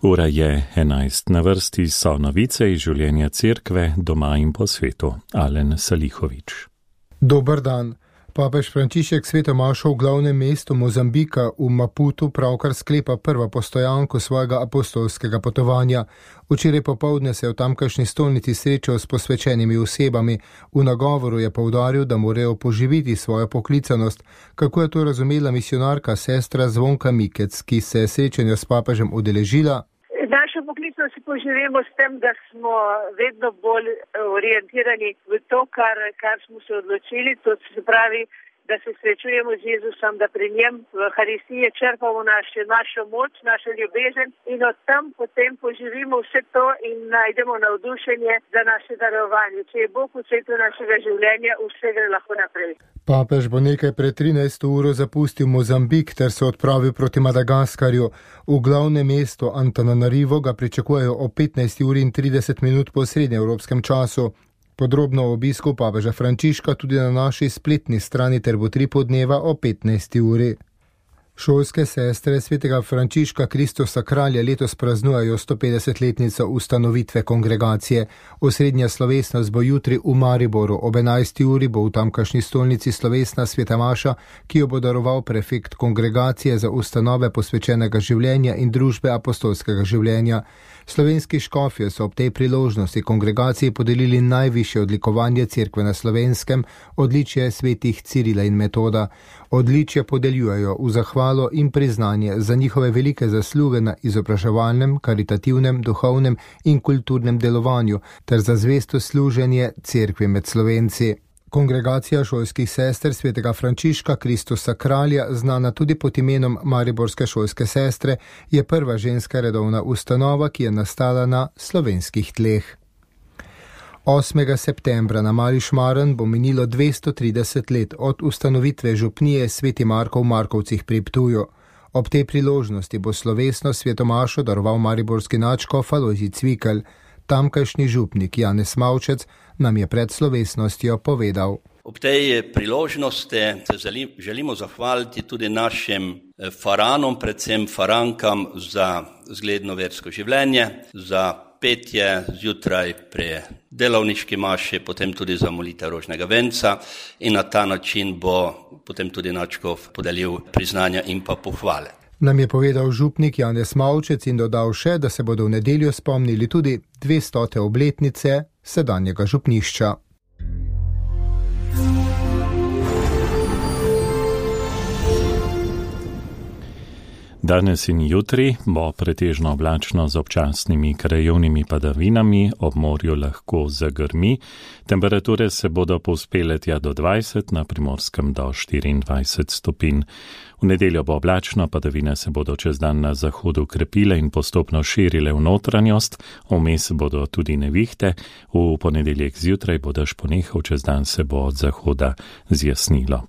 Ura je 11. Na vrsti so novice iz življenja cerkve doma in po svetu. Alen Salihovič. Dober dan. Papež Frančišek sveto mašo v glavnem mestu Mozambika v Maputu pravkar sklepa prvo postojanko svojega apostolskega potovanja. Včeraj popoldne se je v tamkajšnji stolnici srečal s posvečenimi osebami. V nagovoru je poudaril, da morajo poživiti svojo poklicanost. Kako je to razumela misionarka sestra Zvonka Mikec, ki se je srečanja s papežem udeležila? Našo poklicnost si poživimo s tem, da smo vedno bolj orientirani v to, kar smo se odločili, to se pravi, da se srečujemo z Jezusom, da pri njem v Euharistiji črpamo našo moč, našo ljubezen in od tam potem poživimo vse to in najdemo navdušenje za naše darovanje. Če je Bog v srcu našega življenja, vse gre lahko naprej. Papež bo nekaj pred 13. uro zapustil Mozambik ter se odpravil proti Madagaskarju. V glavnem mestu Antananarivo ga pričakujejo o 15:30 po srednjeevropskem času. Podrobno o obisku papeža Frančiška tudi na naši spletni strani ter bo 3 podneva o 15. uri. Šolske sestre svetega Frančiška Kristusa Kralja letos praznujejo 150-letnico ustanovitve kongregacije. Osrednja slovesnost bo jutri v Mariboru. Ob 11. uri bo v tamkajšnji stolnici slovesna sveta maša, ki jo bo daroval prefekt kongregacije za ustanove posvečenega življenja in družbe apostolskega življenja. Slovenski škofje so ob tej priložnosti kongregaciji podelili najvišje odlikovanje cerkve na Slovenskem, odličje svetih Cirila in Metoda. Odličje podeljujejo v zahvalo in priznanje za njihove velike zasluge na izobraževalnem, karitativnem, duhovnem in kulturnem delovanju ter za zvesto služenje cerkvi med Slovenci. Kongregacija šolskih sester svetega Frančiška Kristusa Kralja, znana tudi pod imenom Mariborske šolske sestre, je prva ženska redovna ustanova, ki je nastala na slovenskih tleh. 8. septembra na Mali Šmaren bo minilo 230 let od ustanovitve župnije Sveti Marko v Markovcih pri Ptuju. Ob tej priložnosti bo slovesno svetomašo daroval mariborski nadškof Alojzij Cvikl. Tamkajšnji župnik Janez Mavčec nam je pred slovesnostjo povedal. Ob tej priložnosti se želimo zahvaliti tudi našim faranom, predvsem farankam za zgledno versko življenje, za petje zjutraj pri delovniški maši, potem tudi za molitev rožnega venca in na ta način bo potem tudi nadškof podelil priznanja in pa pohvale. Nam je povedal župnik Janez Mavčec in dodal še, da se bodo v nedeljo spomnili tudi 200. obletnice sedanjega župnišča. Danes in jutri bo pretežno oblačno z občasnimi krajevnimi padavinami, ob morju lahko zagrmi. Temperature se bodo povzpele tja do 20, na Primorskem do 24 stopinj. V nedeljo bo oblačno, padavine se bodo čez dan na zahodu krepile in postopno širile v notranjost, vmes bodo tudi nevihte, v ponedeljek zjutraj bo dež ponehal, čez dan se bo od zahoda zjasnilo.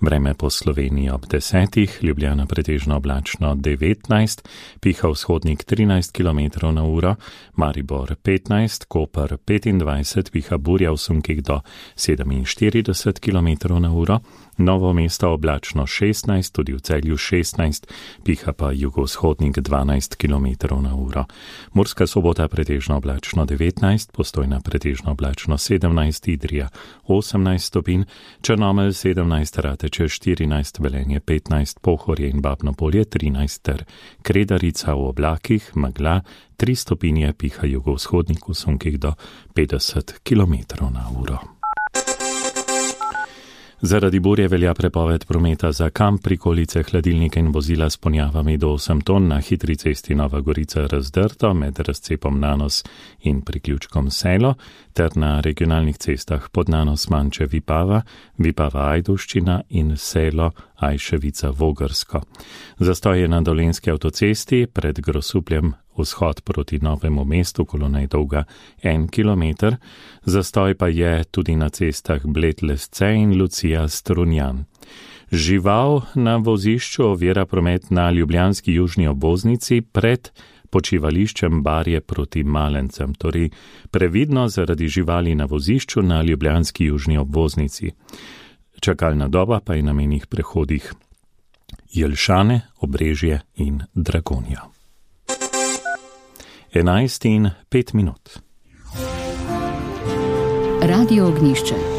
Vreme po Sloveniji ob 10, Ljubljana pretežno oblačno 19, piha vzhodnik 13 km na uro, Maribor 15, Koper 25, piha burja v sunkih do 47 km na uro, Novo mesto oblačno 16, tudi v Celju 16, piha pa jugovzhodnik 12 km na uro. Murska Sobota pretežno oblačno 19, Postojna pretežno oblačno 17, Idrija 18 stopinj, Črnomelj 17, Rateče 14, Velenje 15, Pohorje in Babno Polje 13 ter Kredarica v oblakih, megla 3 stopinje, piha jugovzhodnik v sunkih do 50 km na uro. Zaradi burje velja prepoved prometa za kamp, prikolice, hladilnike in vozila s ponjavami do 8 ton na hitri cesti Nova Gorica Razdrto med razcepom Nanos in priključkom Selo ter na regionalnih cestah Podnanos Manče Vipava, Vipava Ajduščina in Selo Ajševica Vogrsko. Zastoj je na Dolenjski avtocesti pred Grosupljem vzhod proti Novemu mestu, kolona je dolga 1 kilometer, zastoj pa je tudi na cestah Bled-Lesce in Lucija Strunjan. Žival na vozišču ovira promet na ljubljanski južni obvoznici pred počivališčem Barje proti Malencem, torej previdno zaradi živali na vozišču na ljubljanski južni obvoznici. Čakalna doba pa je na mejnih prehodih Jelšane, Obrežje in Dragonja. 11:05. Radio Ognjišče.